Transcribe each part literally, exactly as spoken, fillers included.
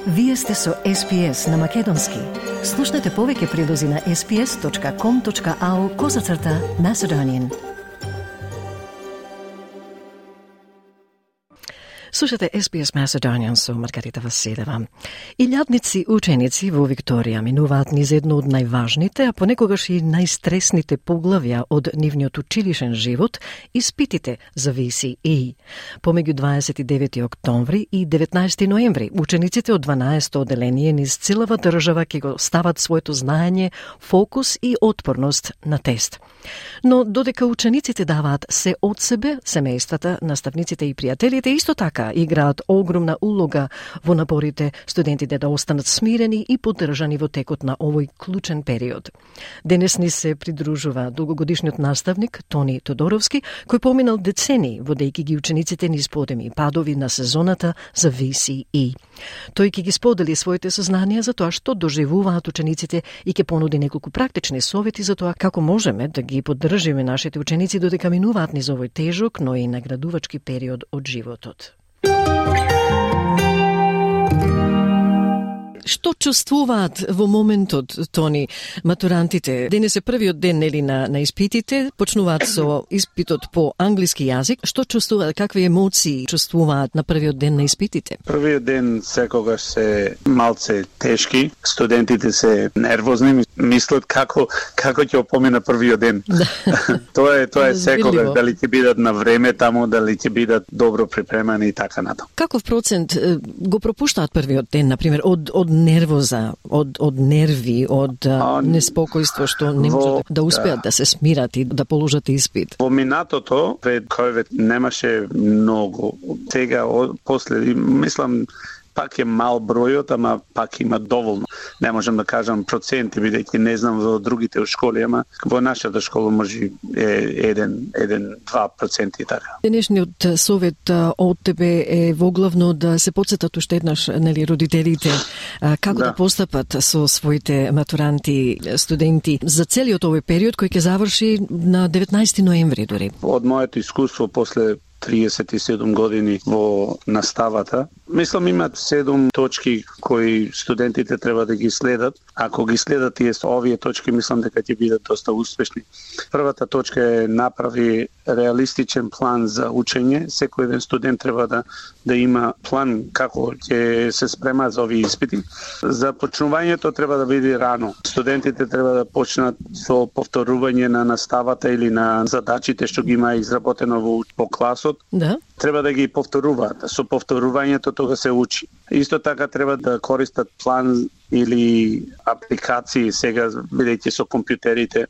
Вие сте со Ес Би Ес на Македонски. Слушнете повеќе прилози на ес би ес точка ком точка ау козацрта Macedonian. Слушате Ес Би Ес Macedonian со Маргарита Василева. Илјадници ученици во Викторија минуваат низ едно од најважните, а понекогаш и најстресните поглавја од нивниот училишен живот, испитите за Ви Си Ей. Помеѓу дваесет и девети октомври и деветнаесети ноември, учениците од дванаесетто оделение низ целава држава ќе го стават своето знаење, фокус и отпорност на тест. Но додека учениците даваат се од себе, семејствата, наставниците и пријателите исто така играат огромна улога во напорите студентите да останат смирени и поддржани во текот на овој клучен период. Денес ни се придружува долгогодишниот наставник Тони Тодоровски, кој поминал децении водејќи ги учениците низ подеми и падови на сезоната за Ви Си Ей. Тој ќе ги сподели своите сознанија за тоа што доживуваат учениците и ќе понуди неколку практични совети за тоа како можеме да ги поддржиме нашите ученици додека минуваат низ овој тежок, но и наградувачки период од животот. Што чувствуваат во моментот, Тони, матурантите? Денес е првиот ден нели на на испитите, почнуваат со испитот по англиски јазик. Што чувствуваат, какви емоции чувствуваат на првиот ден на испитите? Првиот ден секогаш се малце тешки, студентите се нервозни, мислат како како ќе помине првиот ден. тоа е тоа е секогаш, дали ќе бидат на време таму, дали ќе бидат добро припремани и така натаму. Каков процент го пропуштаат првиот ден, на пример, од од нервоза, од од нерви, од а, неспокојство што не можат да успеат да. да се смират и да положат испит? Во минатото пред ковид немаше многу. Сега после мислам пак е мал бројот, ама пак има доволно. Не можам да кажам проценти, бидејќи не знам во другите школи, ама во нашата школа може е еден до два проценти така. Денешниот совет од тебе е воглавно да се потсетат уште еднаш, нели, родителите како да. да постапат со своите матуранти, студенти за целиот овој период кој ќе заврши на деветнаесети ноември дури. Од моето искуство после триесет и седум години во наставата, мислам имаат седум точки кои студентите треба да ги следат. Ако ги следат тие овие точки, мислам дека ќе бидат доста успешни. Првата точка е направи реалистичен план за учење. Секој еден студент треба да да има план како ќе се спрема за овие испити. За почнувањето треба да биде рано. Студентите треба да почнат со повторување на наставата или на задачите што ги има изработено во по класот. Да. Треба да ги повторуваат. Со повторувањето тога се учи. Исто така треба да користат план или апликации сега, бидејќи со компјутерите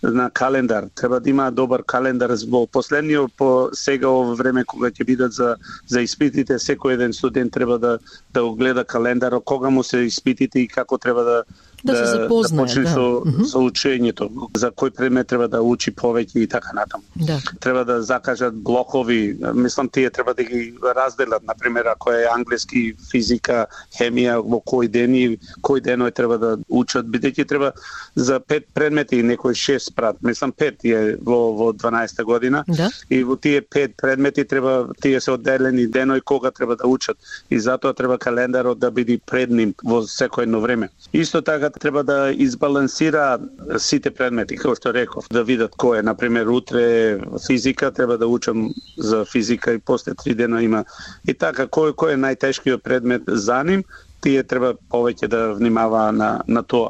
на календар. Треба да има добар календар во последниот по сега ово време кога ќе бидат за за испитите, секој еден студент треба да да го гледа календарот, кога му се испитите и како треба да да, да се запознае, да почне да. со, Mm-hmm. со учењето, за кој предмет треба да учи повеќе и така натаму. Да. Треба да закажат блокови, мислам тие треба да ги разделат, на пример ако е англиски, физика, хемија во кој ден и кој деној треба да учат, бидејќи треба за пет предмети и некој шест прат, мислам пет е во во дванаесета година. Да. И во тие пет предмети треба тие се одделени деној кога треба да учат и затоа треба календарот да биде пред ним во секој едно време. Исто така треба да избалансира сите предмети, како што реков, да видат кој е, на пример, утре физика, треба да учам за физика и после три дена има. И така, кој кој е најтешкиот предмет за ним, тие треба повеќе да внимава на на тоа.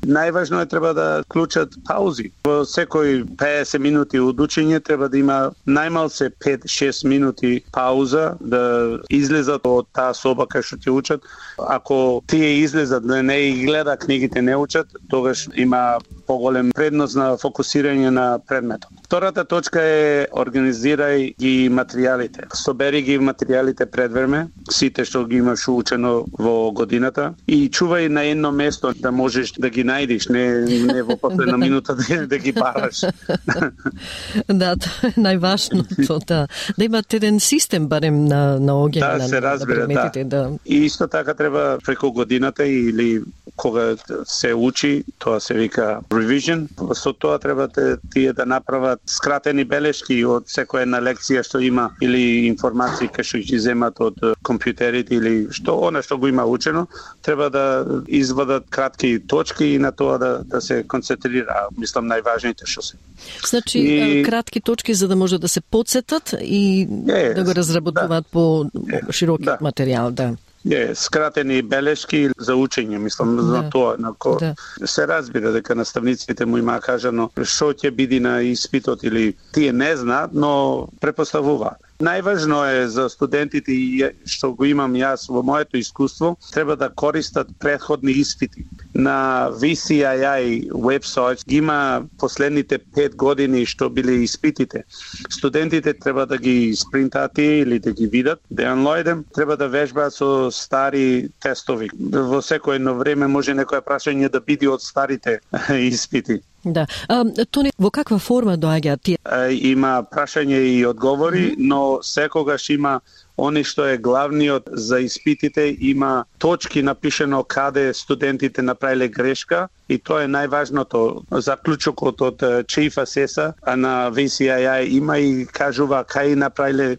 Најважно е треба да клучат паузи. Во секој педесет минути од учење треба да има најмалце пет-шест минути пауза, да излезат од таа соба кај што ќе учат. Ако тие излезат, да не и гледа книгите, не учат, тогаш има поголем предност на фокусирање на предметот. Втората точка е организирај ги материјалите. Собери ги материјалите предвреме, сите што ги имаш учено во годината и чувај на едно место да можеш да ги најдеш, не не во последна минута да, да ги бараш. Да, тоа е најважното, да. Да имат еден систем барем на на огиња да, на, се разбира, на предметите, да. да. И исто така треба преку годината или кога се учи, тоа се вика revision. Со тоа треба тие да направат скратени белешки од секоја една лекција што има или информации кои што ги земат од компјутерите или што она што го има учено, треба да извадат кратки точки и на тоа да да се концентрира, мислам најважните што се. Значи и... кратки точки за да може да се потсетат и е, да го разработуваат да. по широки да. материјал, да. Е, скратени белешки за учење, мислам, за да. тоа. Нако, да. Се разбира дека наставниците му има кажано што ќе биде на испитот или тие не знаат, но препоставуваат. Најважно е за студентите и што го имам јас во моето искуство, треба да користат претходни испити. На ви си ай ай вебсайт има последните пет години што биле испитите. Студентите треба да ги спринтат или да ги видат, да онлојдем, треба да вежбаат со стари тестови. Во секое едно време може некоја прашање да биде од старите испити. Да. А, Тони, во каква форма доаѓаат тие? Има прашање и одговори, mm-hmm. но секогаш има они што е главниот за испитите, има точки напишено каде студентите направиле грешка и тоа е најважното. Заклучокот од Chief Assessor на ви си ай ай има и кажува кај направиле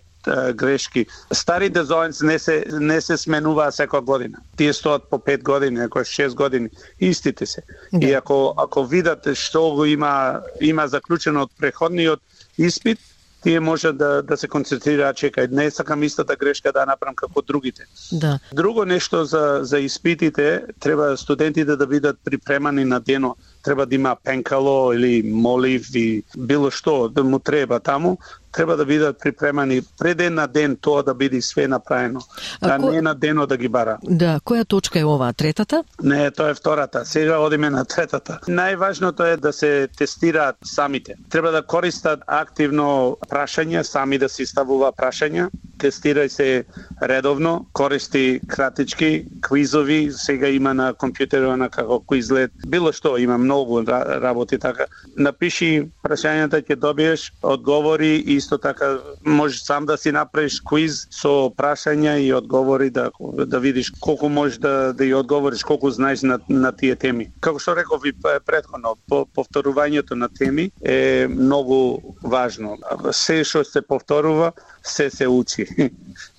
грешки. Стари дизајнс не се не се сменуваа секоја година. Тие стоат по пет години, ако шест години, истите се. Да. И ако ако видат што го има има заклучено од преходниот испит, тие може да да се концентрираат, чекај, не сакам истата грешка да направам како другите. Да. Друго нешто за за испитите, треба студентите да бидат припремани на дено. Треба да има пенкало или молив и било што да му треба таму. Треба да бидат припремани пред на ден тоа да биде све направено, а, а ко... не на дено да ги бара. Да, која точка е оваа, третата? Не, тоа е втората. Сега одиме на третата. Најважното е да се тестираат самите. Треба да користат активно прашања, сами да си ставува прашања, тестирај се редовно, користи кратички, квизови, сега има на компјутерот на како квизлет, било што, има многу работи така. Напиши прашањата, ќе добиеш одговори и исто така можеш сам да си направиш квиз со прашања и одговори да да видиш колку можеш да да ја одговориш, колку знаеш на на тие теми. Како што реков и претходно, по, повторувањето на теми е многу важно. Се што се повторува, се се учи.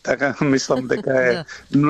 Така мислам дека е да.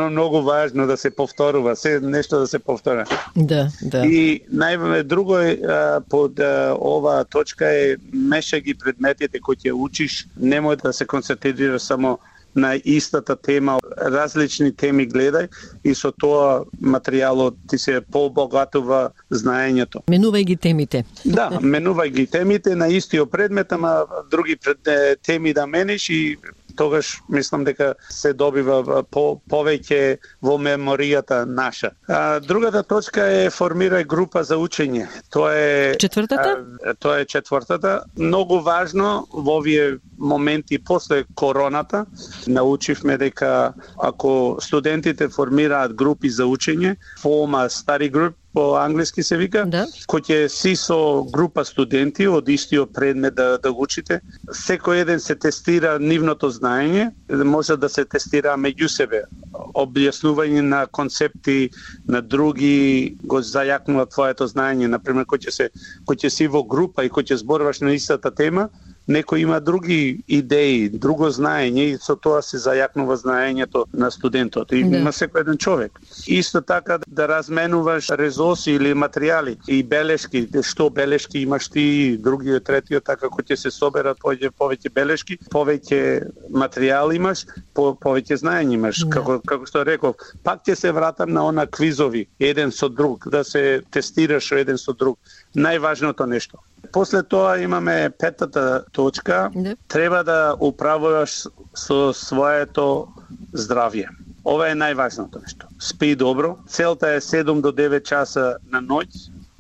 многу важно да се повторува, се нешто да се повтора. Да, да. И нај друго е под ова точка е меша ги предметите кои ќе учиш, немој да се концентрираш само на истата тема, различни теми гледај и со тоа материјалот ти се побогатува знаењето. Менувај ги темите. Да, менувај ги темите на истиот предмет, ама други пред, теми да мениш и тогаш мислам дека се добива по, повеќе во меморијата наша. А, другата точка е формирај група за учење. Тоа е четвртата? А, тоа е четвртата. Многу важно во овие моменти после короната научивме дека ако студентите формираат групи за учење, форма study group по англиски се вика, да. Кој ќе си со група студенти од истиот предмет да, да учите, секој еден се тестира нивното знаење, може да се тестира меѓу себе. Објаснување на концепти на други го зајакнува твоето знаење, например кој ќе се кој ќе си во група и кој ќе зборуваш на истата тема, некој има други идеи, друго знаење и со тоа се зајакнува знаењето на студентот. И има секој еден човек. Исто така да разменуваш резорси или материјали и белешки, што белешки имаш ти, другиот, третиот, така кој ќе се соберат повеќе повеќе белешки, повеќе материјал имаш, по, повеќе знаење имаш. Да. Како како што реков, пак ќе се вратам на она квизови, еден со друг, да се тестираш еден со друг. Најважното нешто. После тоа имаме петата точка. Не. Треба да управуваш со своето здравје. Ова е најважното нешто. Спи добро. Целта е седум до девет часа на ноќ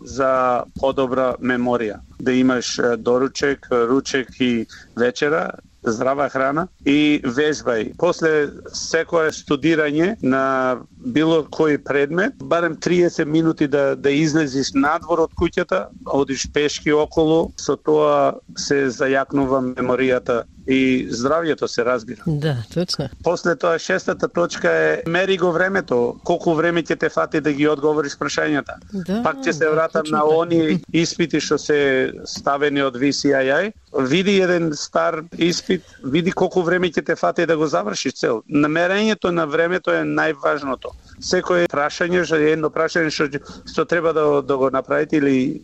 за подобра меморија. Да имаш доручек, ручек и вечера, здрава храна и вежбај. После секое студирање на било кој предмет, барем триесет минути да да излезиш надвор од куќата, одиш пешки околу, со тоа се зајакнува меморијата и здравјето се разбира. Да, точно. После тоа шестата точка е мери го времето, колку време ќе те фати да ги одговориш прашањата. Да, Пак ќе се да, вратам точно на така. оние испити што се ставени од ви си ай ай. Види еден стар испит, види колку време ќе те фати да го завршиш цел. Намерењето на времето е најважното. Секој прашање, што е едно прашање што, што треба да, да го направите или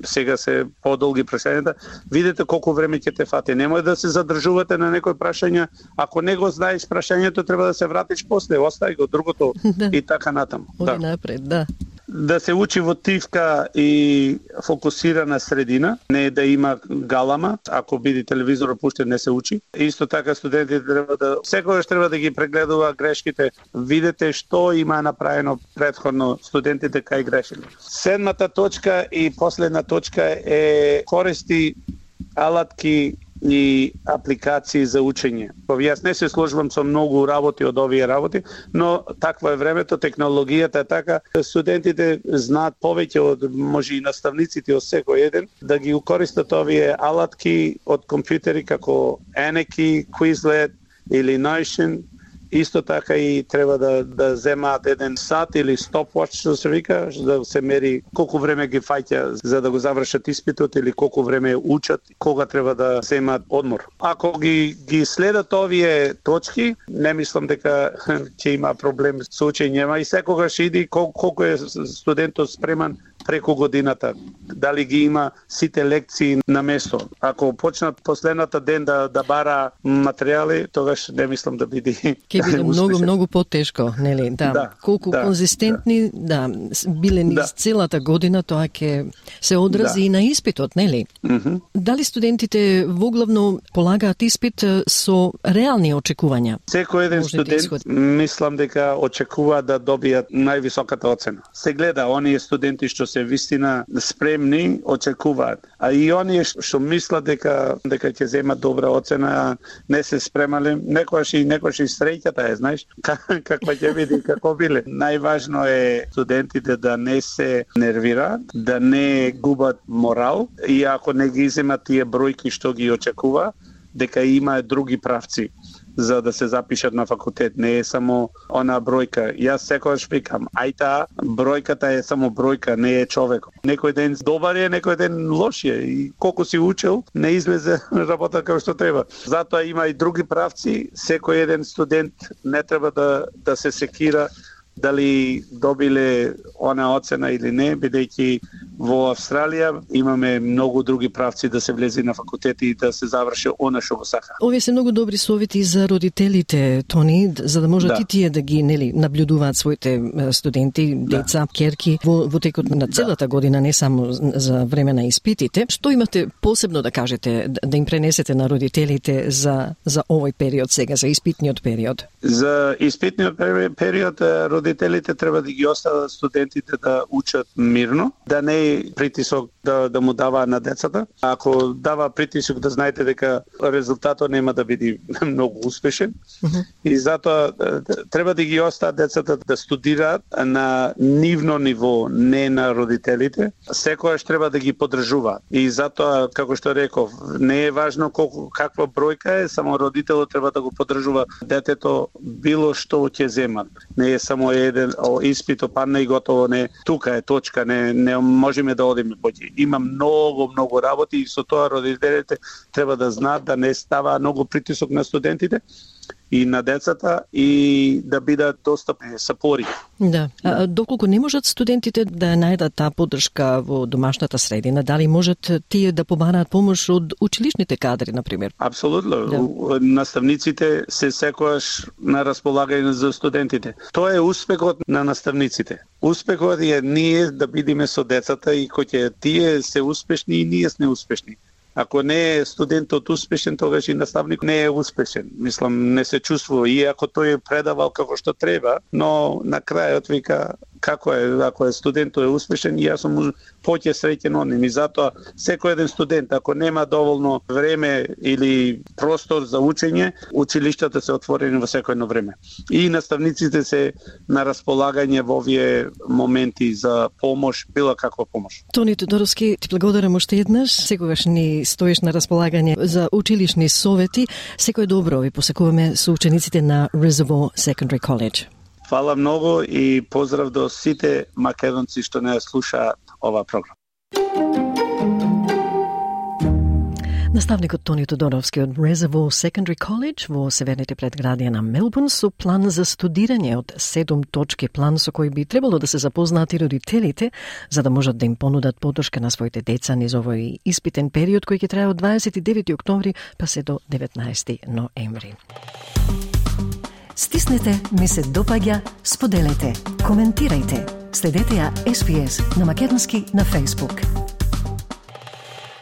сега се подолги прашањата, видите колку време ќе те фати. Немој да се задржувате на некој прашање. Ако не го знаеш прашањето, треба да се вратиш после, остави го другото Да. и така натаму. Оди Да. напред, да. Да се учи во тивка и фокусирана средина, не да има галама, ако биде телевизор пуштен не се учи. Исто така студентите треба да секогаш треба да ги прегледува грешките, видете што има направено претходно студентите кај грешили. Седмата точка и последна точка е користи алатки и апликации за учење. Па јас не се сложувам со многу работи од овие работи, но таква е времето, технологијата е така, студентите знаат повеќе од може и наставниците од секој еден да ги користат овие алатки од компјутери како Anki, Quizlet или Notion. Исто така и треба да да земаат еден сат или stopwatch, што се вика, да се мери колку време ги фаќа за да го завршат испитот или колку време учат, кога треба да земаат одмор. Ако ги ги следат овие точки, не мислам дека ќе има проблем со учењето и секогаш иди кол, колку е студентот спреман преку годината, дали ги има сите лекции на место. Ако почнат последната ден да да бара материјали, тогаш не мислам да биде Ќе биде многу многу потешко, нели? Да. Да, Колку да, конзистентни, да, биле низ Да. целата година, тоа ќе се одрази Да. и на испитот, нели? Мгм. Дали студентите воглавно полагаат испит е, со реални очекувања? Секој еден Може да студент, исходи. мислам дека очекува да добијат највисоката оцена. Се гледа, оние студенти што се вистина спремни, очекуваат. А и оние што мислат дека дека ќе земат добра оцена, не се спремале, некојаш и некојаш и среќата е, знаеш, каква ќе биде, како биле. Најважно е студентите да не се нервираат, да не губат морал и ако не ги земат тие бројки што ги очекува, дека има други правци за да се запишат на факултет. Не е само она бројка. Јас секогаш викам, ајта, бројката е само бројка, не е човек. Некој ден добар е, некој ден лош е. И колку си учил, не излезе работа како што треба. Затоа има и други правци. Секој еден студент не треба да, да се секира дали добиле она оцена или не, бидејќи во Австралија имаме многу други правци да се влезе на факултет и да се заврши она што го сака. Овие се многу добри совети за родителите, Тони, за да можат Да. и тие да ги нели наблюдуваат своите е, студенти, деца, керки во, во текот на целата година, не само за време на испитите. Што имате посебно да кажете, да, да им пренесете на родителите за за овој период сега, за испитниот период? За испитниот пери- период е, родителите треба да ги остават студентите да учат мирно, да не е притисок да, да му дава на децата. Ако дава притисок, да знаете дека резултатот нема да биде многу успешен. Мгм. И затоа е, треба да ги остават децата да студираат на нивно ниво, не на родителите. Секојаш треба да ги поддржуваат. И затоа, како што реков, не е важно колку каква бројка е, само родителот треба да го поддржува детето било што ќе земат. Не е само еден о, испит опадна и готово, не тука е точка, не не можеме да одиме поќе. Има многу многу работи и со тоа родителите треба да знаат да не става многу притисок на студентите и на децата и да бидат достапни сапори. Да. А, доколку не можат студентите да најдат таа поддршка во домашната средина, дали можат тие да побараат помош од училишните кадри, например? Апсолутно. Да. У- Наставниците се секогаш на располагање за студентите. Тоа е успехот на наставниците. Успехот е ние да бидеме со децата и кој ќе тие се успешни и ние сме успешни. Ако не е студентот успешен, тогаш и наставник не е успешен. Мислам, не се чувствува, иако тој е предавал како што треба, но на крајот вика, како е, ако е студент е успешен, и јас сум поќе среќен од ним. И затоа секој еден студент, ако нема доволно време или простор за учење, училиштата се отворени во секој време. И наставниците се на располагање во овие моменти за помош, било каква помош. Тони Тодоровски, ти благодарам уште еднаш. Секогаш ни стоиш на располагање за училишни совети. Секој добро ви посекуваме со учениците на Reservoir Secondary College. Фала многу и поздрав до сите македонци што не слушаат ова програма. Наставникот Тони Тодоровски од Reservoir Secondary College во северните предградија на Мелбурн со план за студирање од седум точки, план со кој би требало да се запознаат и родителите за да можат да им понудат поддршка на своите деца низ овој испитен период кој ќе трае од дваесет и девети октомври па се до деветнаесети ноември. Стиснете, ми се допаѓа, споделете, коментирајте. Следете ја Ес Би Ес на македонски на Facebook.